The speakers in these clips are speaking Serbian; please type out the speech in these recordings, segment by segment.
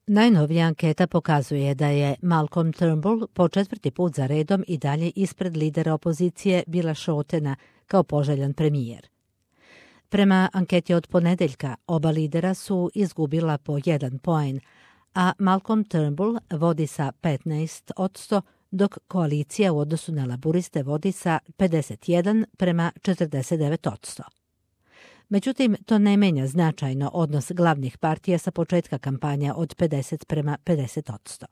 Najnovija anketa pokazuje da je Malcolm Turnbull po 4. put za redom i dalje ispred lidera opozicije Billa Shortena kao poželjan premijer. Prema anketi od ponedeljka, oba lidera su izgubila po 1 poen, a Malcolm Turnbull vodi sa 15%, dok koalicija u odnosu na laburiste vodi sa 51:49%. Međutim, to ne menja značajno odnos glavnih partija sa početka kampanja od 50:50%.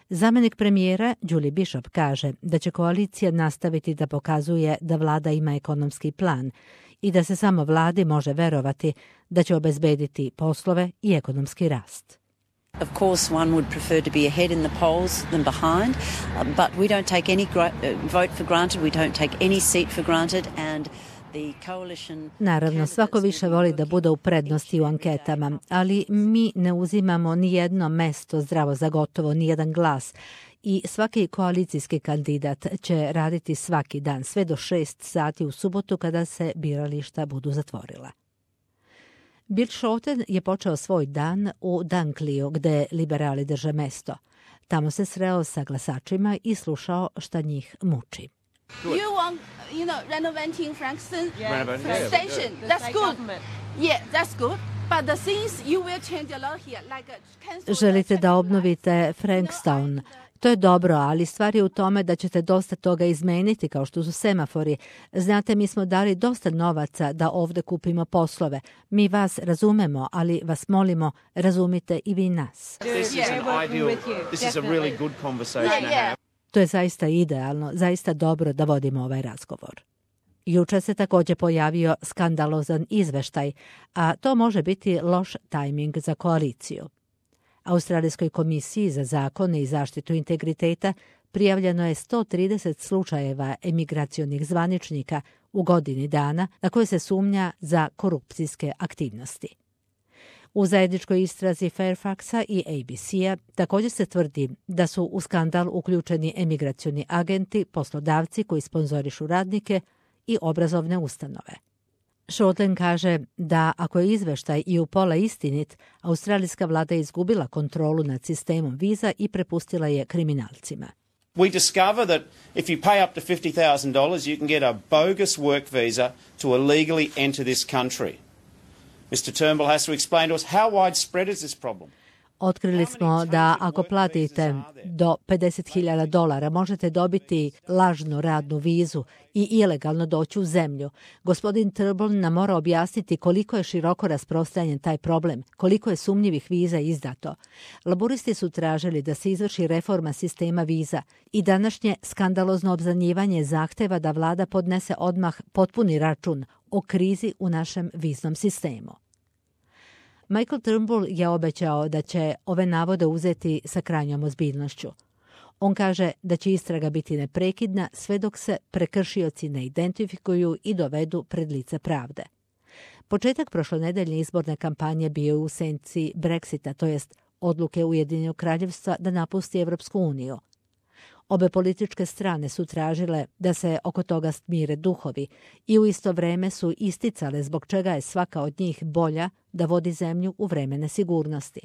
Zamenik premijera Julie Bishop kaže da će koalicija nastaviti da pokazuje da vlada ima ekonomski plan i da se samo vladi može verovati da će obezbediti poslove i ekonomski rast. Of course, one would prefer to be ahead in the polls than behind, but we don't take any vote for granted, we don't take any seat for granted, and naravno, svako više voli da bude u prednosti u anketama, ali mi ne uzimamo ni jedno mesto zdravo za gotovo, ni jedan glas. I svaki koalicijski kandidat će raditi svaki dan, sve do 6 sati u subotu kada se birališta budu zatvorila. Bill Shorten je počeo svoj dan u Dunkleyju, gde liberali drže mesto. Tamo se sreo sa glasačima i slušao šta njih muči. You want, renovating Frankston station. That's good. Yeah, that's good. But the things you will change a lot here, like želite da obnovite Frankstown. To je dobro, ali stvar je u tome da ćete dosta toga izmeniti, kao što su semafori. Znate, mi smo dali dosta novaca da ovde kupimo poslove. Mi vas razumemo, ali vas molimo, razumite i vi nas. To je zaista idealno, zaista dobro da vodimo ovaj razgovor. Juče se također pojavio skandalozan izveštaj, a to može biti loš tajming za koaliciju. Australijskoj komisiji za zakone i zaštitu integriteta prijavljeno je 130 slučajeva emigracionih zvaničnika u godini dana na koje se sumnja za korupcijske aktivnosti. U zajedničkoj istrazi Fairfaxa i ABC-a također se tvrdi da su u skandal uključeni emigracioni agenti, poslodavci koji sponzorišu radnike i obrazovne ustanove. Shorten kaže da ako je izveštaj i u pola istinit, australijska vlada je izgubila kontrolu nad sistemom viza i prepustila je kriminalcima. We discover that if you pay up to $50,000, you can get a bogus work visa to illegally enter this country. Mr. Turnbull has to explain to us how widespread is this problem. Otkrili smo da ako platite do $50,000 možete dobiti lažnu radnu vizu i ilegalno doći u zemlju. Gospodin Turnbull nam mora objasniti koliko je široko rasprostranjen taj problem, koliko je sumnjivih viza izdato. Laburisti su tražili da se izvrši reforma sistema viza i današnje skandalozno obznanjivanje zahteva da vlada podnese odmah potpuni račun o krizi u našem viznom sistemu. Michael Turnbull je obećao da će ove navode uzeti sa krajnjom ozbiljnošću. On kaže da će istraga biti neprekidna sve dok se prekršioci ne identifikuju i dovedu pred lice pravde. Početak prošlonedeljne izborne kampanje bio je u senci Brexita, to jest odluke Ujedinjenog kraljevstva da napusti Evropsku uniju. Obe političke strane su tražile da se oko toga smire duhovi i u isto vreme su isticale zbog čega je svaka od njih bolja da vodi zemlju u vreme nesigurnosti.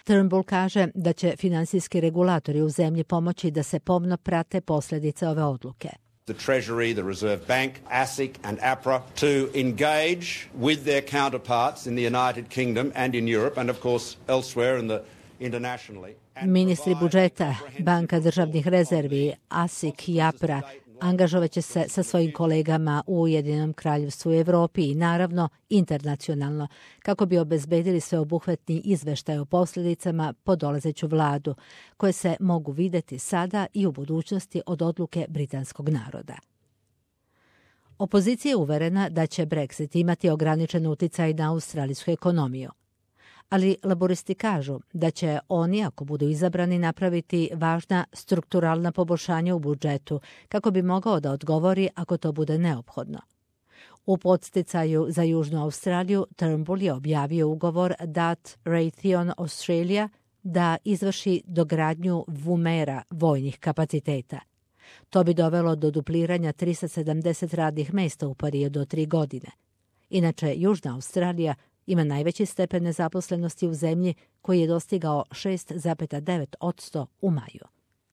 Turnbull kaže da će finansijski regulatori u zemlji pomoći da se pomno prate posljedice ove odluke. The Treasury, the Reserve Bank, ASIC and APRA to engage with their counterparts in the United Kingdom and in Europe and of course elsewhere in the internationally. Ministri budžeta, Banka državnih rezervi, ASIC i APRA angažovat će se sa svojim kolegama u Ujedinjenom kraljevstvu i Evropi i naravno internacionalno kako bi obezbedili sveobuhvatni izveštaj o posljedicama po dolazeću vladu, koje se mogu videti sada i u budućnosti od odluke britanskog naroda. Opozicija je uverena da će Brexit imati ograničen uticaj na australijsku ekonomiju. Ali laboristi kažu da će oni, ako budu izabrani, napraviti važna strukturalna poboljšanja u budžetu kako bi mogao da odgovori ako to bude neophodno. U podsticaju za Južnu Australiju Turnbull je objavio ugovor dat Raytheon Australia da izvrši dogradnju Woomera vojnih kapaciteta. To bi dovelo do dupliranja 370 radnih mesta u periodu od 3 godine. Inače, Južna Australija Ima najveći stepen nezaposlenosti u zemlji koji je dostigao 6,9% u maju.